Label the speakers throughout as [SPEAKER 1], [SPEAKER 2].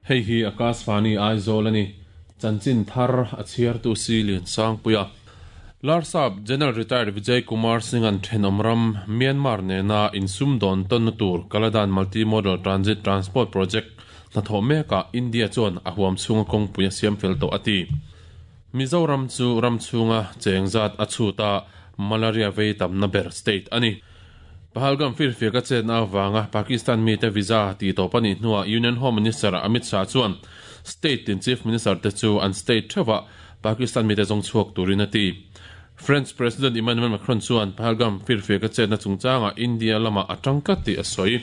[SPEAKER 1] Hei hi Akashvani Aizawl a ni. Chanchin thar a chhiartu si Liansangpuia. Larsap General Retired Vijay Kumar Singh-a'n thenawm ram Myanmar nena insumdawn tawnna tur Kaladan Multi-Modal Transit Transport Project hnathawh mekah India chuan a huam chhunga kawngpui a siam fel tawh a ti. Mizoram chu ram chhunga cheng zat a chhut a, malaria vei tamna ber state a ni. Pahalgam firfiak a chetna avanga Pakistan mite visa tih tawp a nih hnuah Union Home Minister Amit Shah chuan state tin Chief Minister te chu an state theuhah Pakistan mite zawng chhuak turin a ti. French President Emmanuel Macron chuan Pahalgam firfiak a chetna chungchangah India lamah a tang tlat tih a sawi.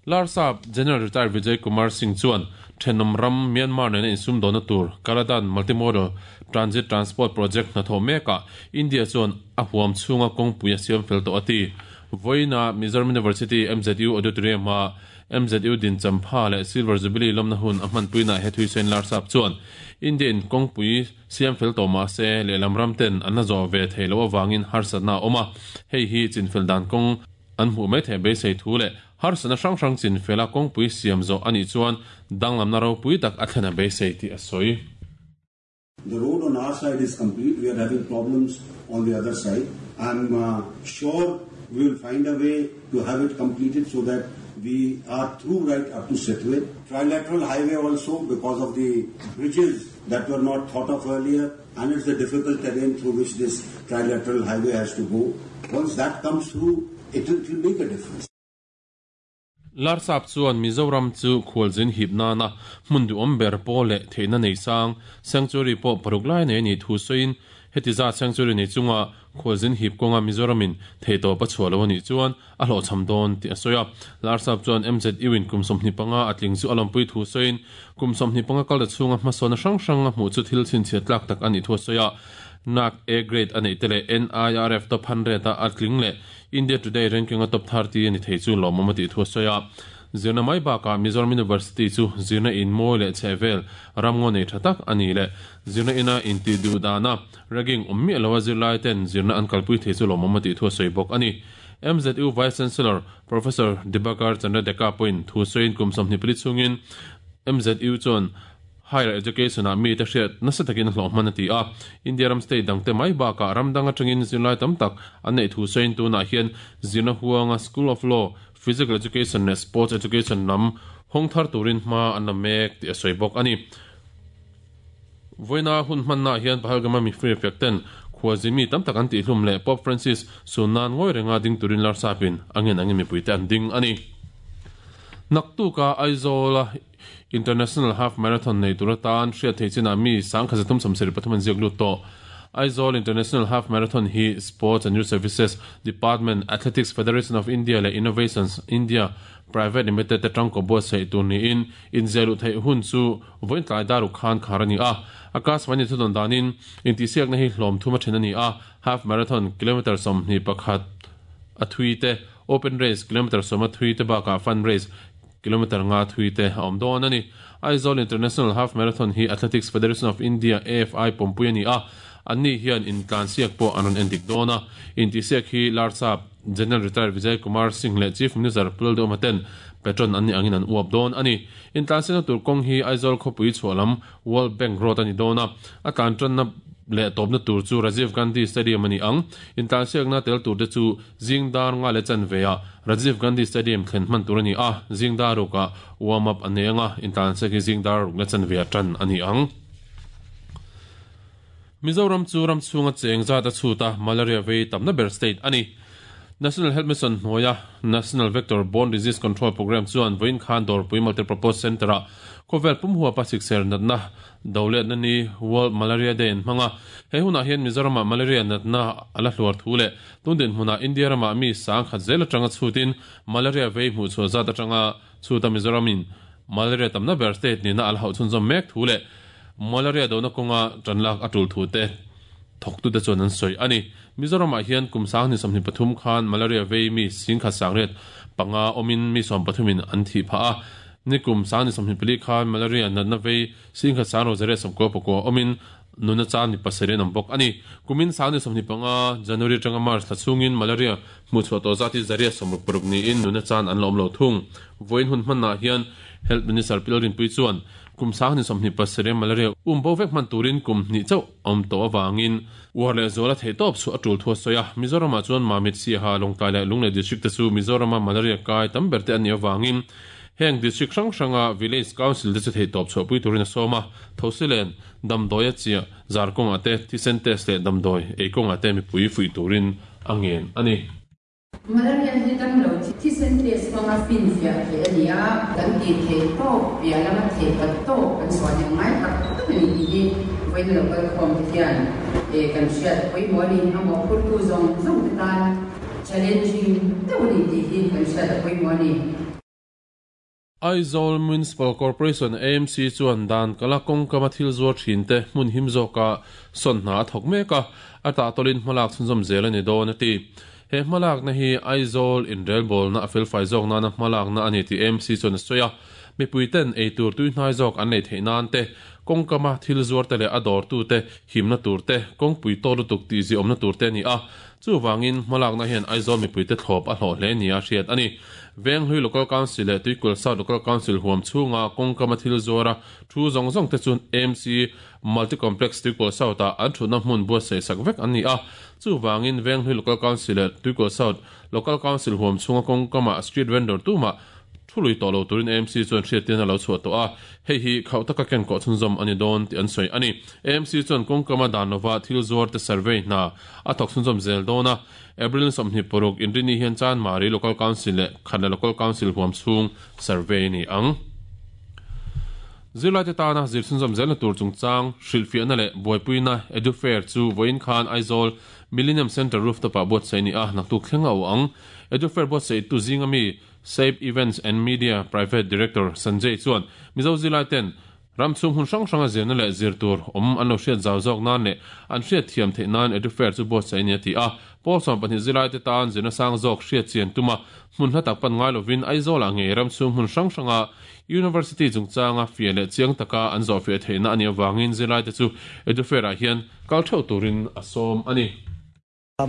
[SPEAKER 1] Larsap General Retired Vijay Kumar Singh chuan thenawm ram Myanmar nena insumdawnna tur Kaladan Multimodal Transit Transport Project hnathawh mekah India chuan a huam chhunga kawngpui a siam fel tawh a ti. Vawiina Mizoram University, MZU, Auditorium-a MZU din champha leh Silver Jubilee lawmna hun a hmanpuinaah he thuisain Larsap chuan India-in kawngpui siam fel tawh mah se lehlam ram ten an la zawh ve thei loh avangin harsatna a awm a, hei hi chinfel dan kawng an hmuh mai theih beisei thu leh harsatna hrang hrang chinfela kawngpui siam zawh a nih chuan danglamna ropui tak a thlen a beisei tih a sawi.
[SPEAKER 2] The road on our side is complete, we are having problems on the other side. I am uh, sure we will find a way to have it completed so that we are through right up to Setwe. Trilateral highway also because of the bridges that were not thought of earlier and it's a difficult terrain through which this trilateral highway has to go. Once that comes through, it will, it will make a difference.
[SPEAKER 1] Larsap chuan Mizoram chu khualzin hip nana hmun duhawm ber pawl leh theihna nei sang sanctuary pawh paruk lai nei a nih thu sawiin heti zat sanctuary nei chunga khualzin hip kawnga Mizoramin theihtawp a chhuah lo a nih chuan a hlawhchham dawn tih a sawi a. Larsap chuan MZU in kum 25 a tling chu a lawmpui thu sawiin kum 25 kal ta chhunga hmasawnna hrang hrang a hmuh chu thil chhinchhiat tlak tak a nih thu a sawi a. NAAC A grade a neih te leh NIRF top 100 a a tling leh India Today ranking a top 30 a ni thei chu lawmawm a tih thu a sawi a. Zirna mai bakah Mizoram University chu zirna in mawi leh chhehvel ramngaw nei tha tak a ni leh zirna ina intih duh dana ragging awm miah loa zirlai ten zirna an kalpui thei chu lawmawm a tih thu a sawi bawk a ni. MZU Vice Chancellor Professor Dibakar Chandra Deka pawhin thu sawiin kum 24 chhungin MZU chuan Higher Education ah mite hriat nasa takin a hlawh hman a ti a. India ram state dangte mai bakah ram dang atangin zirlai tam tak an neih thu sawiin tunah hian zirna huanga School of Law, Physical Education leh Sports Education lam hawng thar turin hma an la mek tih a sawi bawk a ni. Vawiina hun hmannaah hian Pahalgam-a mifir fek ten khualzin mi tam tak an tihhlum leh Pope Francis sun nan ngawi renga ding turin Larsapin a ngen angin mipuite an ding a ni. Naktuka Aizawl-a International Half Marathon nei tur atan hriat theih chinah mi 1373 an ziak lut tawh. Aizawl International Half Marathon hi Sports and Youth Services Department, Athletics Federation of India leh Innovations India Private Limited te tangkaw buatsaih tur niin inziah luh theih hun chu vawiin tlai dar uk khan khar a ni a. Akashvani thudawn danin intihsiakna hi hlawm thum a then a ni a, Half Marathon kilometre 21 a thui te, Open Race kilometre 10 a thui te bakah Fun Race Kilometre nga thui te a awm dawn a ni. Aizawl International Half Marathon hi Athletics Federation of India, AFI, pawmpui a ni a, anni hian intlansiak pawh an rawn endik dawn a. Intihsiak hi Larsap General Retired Vijay Kumar Singh leh Chief Minister Pu Lalduhoma ten patron an nih angin an uap dawn a ni. Intlansiakna tur kawng hi Aizawl khawpui chhuah lam World Bank Road a ni dawn a, a tlan tanna leh tawpna tur chu Rajiv Gandhi Stadium a ni ang. Intlansiakna tel turte chu zing dar nga leh chanveah Rajiv Gandhi Stadium thlen hman tur a ni a, zing dar rukah warm up a nei ang a, intlansiak hi zing dar ruk leh chanveah tan a ni ang. Mizoram chu ram chhunga cheng zat a chhut a, malaria vei tamna ber state a ni. National Health Mission hnuaia National Vector Borne Disease Control Programme chuan vawiin khan Dawrpui Multipurpose Centre-ah khawvel pum huapa sikser natna doletna ni World Malaria Day an hmang a. He hunah hian Mizoramah malaria natna a la hluar thu leh tun dinhmunah India ramah mi 10,000 zel atanga chhutin malaria vei hmuhchhuah zat atanga chhuta Mizoramin malaria tamna ber state nihna a la hauh chhunzawm mek thu leh malaria dona kawnga tanlak a tul thu te thawktute chuan an sawi a ni. Mizoramah hian kum 2023 khan malaria vei mi 10,105 awmin mi 13 in an thih phah a. Ni kum 2024 khan malaria natna vei 10,699 awmin nuna chan mi pasarih an awm bawk a ni. Kumin 2025 January atanga March thla chhungin malaria Hmuhchhuah tawh zat hi 166 niin nuna chan an la awm lo thung. Vawiin hun hmanah hian Health Minister Pi Lalrinpuii chuan kum 2027 malaria um bo vek hman turin kum hnih chauh a awm tawh avangin uar leh zuala theihtawp chhuah a tul thu a sawi a. Mizoramah chuan Mamit, Siaha, Lawngtlai leh Lunglei District te chu Mizorama malaria kai tam ber te an nih avangin heng district hrang hranga Village Council te chu theihtawp chhuahpui turin a sawm a. Thosilen, damdawi a chiah zar kawngah te, thisen test leh damdawi ei kawngah te mipui fuih turin a ngen a ni.
[SPEAKER 3] Malaria hi damlo thisen test hmanga finfiah theih a ni a, kan tih theih tawk piah lama theih pat tawk kan suah hnem ngai tak tak a ni tih hi vawiin lo kal khawm te hian kan hriat pawimawh a ni. A mawhphurtu zawng zawng te tan challenging deuh a ni tih hi kan hriat a pawimawh a ni.
[SPEAKER 1] Aizawl Municipal Corporation, AMC, chuan dan kala kawngkama thil zuar thinte hmun him zawka sawn hna a thawk mek a, a tahtawlin hmalak chhunzawm zel a ni dawn a ti. He hmalakna hi Aizawl inrelbawlna a felfai zawk nana hmalakna a ni tih AMC chuan a sawi a. Mipuiten eitur tuihnai zawk an nei theih nan te, kawngkama thil zuarte leh a dawrtute himna tur te, kawngpui tawt lutuk tihziawmna tur te a ni a. Chuvangin hmalakna hian Aizawl mipuite thlawp a hlawh hle nia hriat a ni. Venghlui Local Council leh Tuikul South Local Council huam chhunga kawngkama thil zuara thu zawng zawng te chu AMC Multi Complex Tuikul South-ah an thutna hmun buatsaih sak vek an ni a. Chuvangin Venghlui Local Council leh Tuikul South Local Council huam chhunga kawngkama street vendor tumah Thu lui tawh lo turin AMC chuan hriattir a lo chhuah tawh a, hei hi khauh taka kenkawh chhunzawm a ni dawn tih an sawi a ni. AMC chuan kawngkama dan lova thil zuarte survey hna a thawk chhunzawm zel dawn a, April 26 inrini hian Chanmari Local Council leh Khatla Local Council huam chhung survey a ni ang. Zirlaite tana zir chhunzawm zelna tur chungchang hrilhfiahna leh buaipuina Edufair chu vawiin khan Aizawl Millennium Centre rooftop-ah buatsaih a ni a, naktuk thleng a awh ang. Edufair buatsaihtu zinga mi Sape Events and Media Private Director Sanjay chuan Mizo zilai ten ram chhung hmun hrang hranga zirna leh zir tur awm an lo hriat zau zawk nan leh an hriat thiam theih nan Edufair chu buatsaih a ni a ti a. Pawl 12 zilai te tan zirna sang zawk hriat chian tuma hmun hla tak pan ngai lovin Aizawlah ngei ram chhung hmun hrang hranga University chungchanga fiah leh chiang taka an zawhfiah theihna a nih avangin zilai te chu Edufair ah hian kal theuh turin a sawm a ni.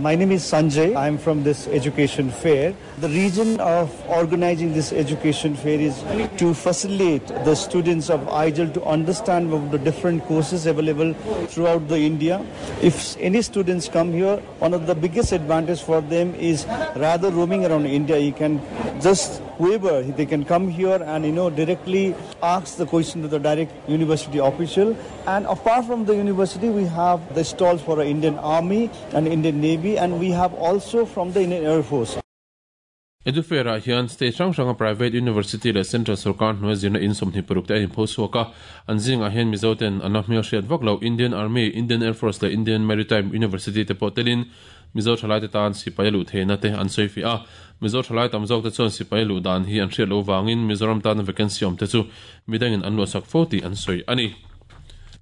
[SPEAKER 4] My name is Sanjay. I'm from this education fair. The reason of organizing this education fair is to facilitate the students of Aizawl to understand about the different courses available throughout the India. If any students come here, one of the biggest advantage for them is rather roaming around India, you can just whoever, they can come here and directly ask the question to the direct university official. And apart from the university, we have the stalls for the Indian Army and Indian Navy, and we have also from the Indian Air Force.
[SPEAKER 1] Edufair-ah hian state hrang hranga private university leh central sorkar hnuai zirna in 26 te a inpho chhuak a, an zingah hian Mizo ten an la hmelhriat vak lo Indian Army, Indian Air Force leh Indian Maritime University te pawh telin Mizo thalaite tan sipai a luh theihna te an sawi fiah a. Mizo thalai tam zawk te chuan sipai a luh dan hi an hriat loh vangin Mizoram tana vacancy awm te chu midangin an luahsak fo tih an sawi a ni.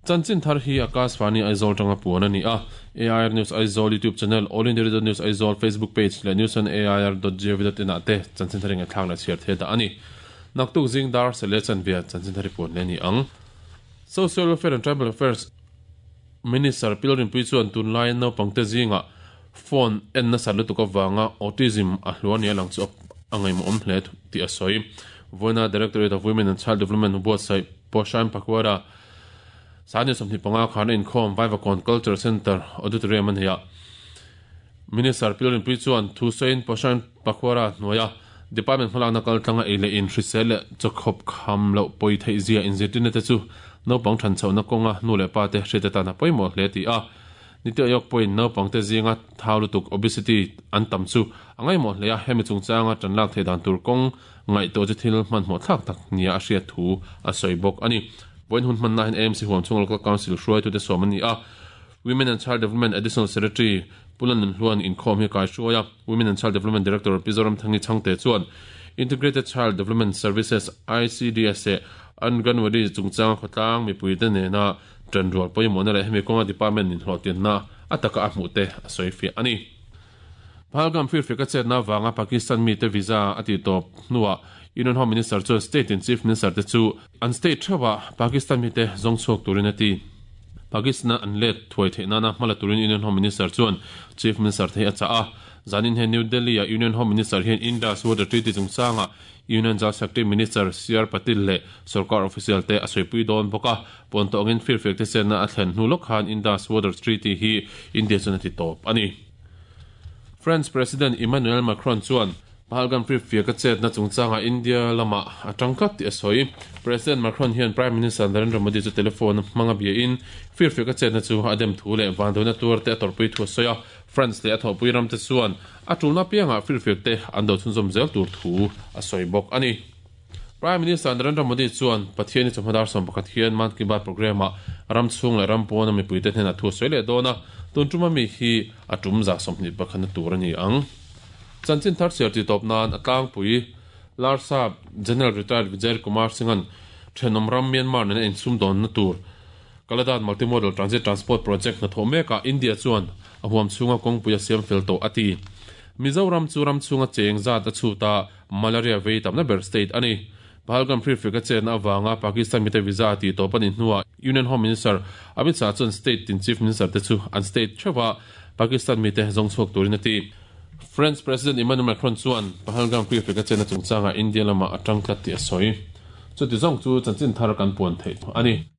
[SPEAKER 1] Chanchin thar hi Akashvani Aizawl tanga puan a ni a, AIR News Aizawl YouTube channel, All India Radio News Aizawl Facebook page leh newsonair.gov.in ah te chanchin thar i ngaihthlak leh chhiar thei dah a ni. Naktuk zing dar seh leh chanve chanchin thar i puan leh a ni ang. Social Welfare and Tribal Affairs Minister Pi Lalrinpuii chuan tunlaiin naupangte zingah phone en nasat lutuk avanga autism a hluar nia lang chu a ngaihmawhawm hle tih a sawi. Vawiina Directorate of Women and Child Development buatsaih Poshan Pakhwara Sani 25 khan a inkhawm Vaivakawn Culture Centre Auditorium a nei a. Minister Pi Lalrinpuii chuan thu sawiin Poshan Pakhwara hnuaia Department hmalakna kaltlanga ei leh in hrisel leh chawkhawp kham loh pawi theih zia inzirtirna te chu naupang than chhohna kawnga nu leh pa te hriat atan a pawimawh hle tih a. Niti Ayok pawhin naupang te zinga thau lutuk, obesity, an tam chu a ngaihmawh hle a, hemi chungchanga tan lak theih dan tur kawng ngaihtuah chu thil hmanhmawh thlak tak nia a hriat thu a sawi bawk a ni. Vawiin hun hmanna hian AMC huam chhunga Local Council hruaitute sawm an ni a, Women and Child Development Additional Secretary Pu Lanun Hluan inkhawm hi a kaihruai a, Women and Child Development Director Pi Zoramthangi Chhangte chuan Integrated Child Development Services, ICDS, leh Anganwadi chungchanga khawtlang mipuite nena ṭanrual pawimawhna leh hemi kawnga department inhlawhtianna a taka a hmuh te a sawi fiah a ni. Pahalgam firfiak a chetna avanga Pakistan mite visa a tihtawp hnuah Union Home Minister chuan state in Chief Minister te chu An state theuhah Pakistan mite zawng chhuak turin a ti. Pakistan-a an let thuai theih nana hma la turin Union Home Minister chuan Chief Minister te hi a chah a. Zanin hian New Delhi ah Union Home Minister hian Indus Water Treaty chungchangah Union Jal Shakti Minister CR Patil leh sorkar official te a sawipui dawn bawk a. Pawn tawh angin firfiak te chenna a thlen hnu lawk khan Indus Water Treaty hi India chuan a ti tawp a ni. France President Emmanuel Macron chuan Pahalgam firfiak a chetna chungchangah India lamah a tang tlat tih a sawi. President Macron hian Prime Minister Narendra Modi chu telephone hmanga biain firfiak a chetna chu a dem thu leh vanduaina tuar te a tawrhpui thu a sawi a. France leh a thawhpui ramte chuan a tulna apiangah firfiak te an do chhunzawm zel tur thu a sawi bawk a ni. Prime Minister Narendra Modi chuan Pathiani chawhma dar 11 hian Mann Ki Baat programme-ah ram chhung leh ram pawna mipuite hnenah thu a sawi leh dawn a, tun tuma mi hi a tum za 21 na tur a ni ang. Chanchin thar chhiar tih tawp nan a tlangpui Larsap General Retired Vijay Kumar Singh-a'n thenawm ram Myanmar nena insumdawnna tur Kaladan Multimodal Transit Transport Project hnathawh mekah India chuan a huam chhunga kawngpui a siam fel tawh a ti. Mizoram chu ram chhunga cheng zat a chhut a, malaria vei tamna ber state a ni. Pahalgam firfek a chetna avanga Pakistan mite visa a tih tawp a nih hnuah Union Home Minister Amit Shah chuan state tin Chief Minister te chu an state theuhah Pakistan mite zawng chhuak turin a ti. French President Emmanuel Macron chuan Pahalgam firfek a chetna chungchangah India lamah a tang tlat tih a sawi. Chuti zawng chu chanchin thar kan puan theih a ni.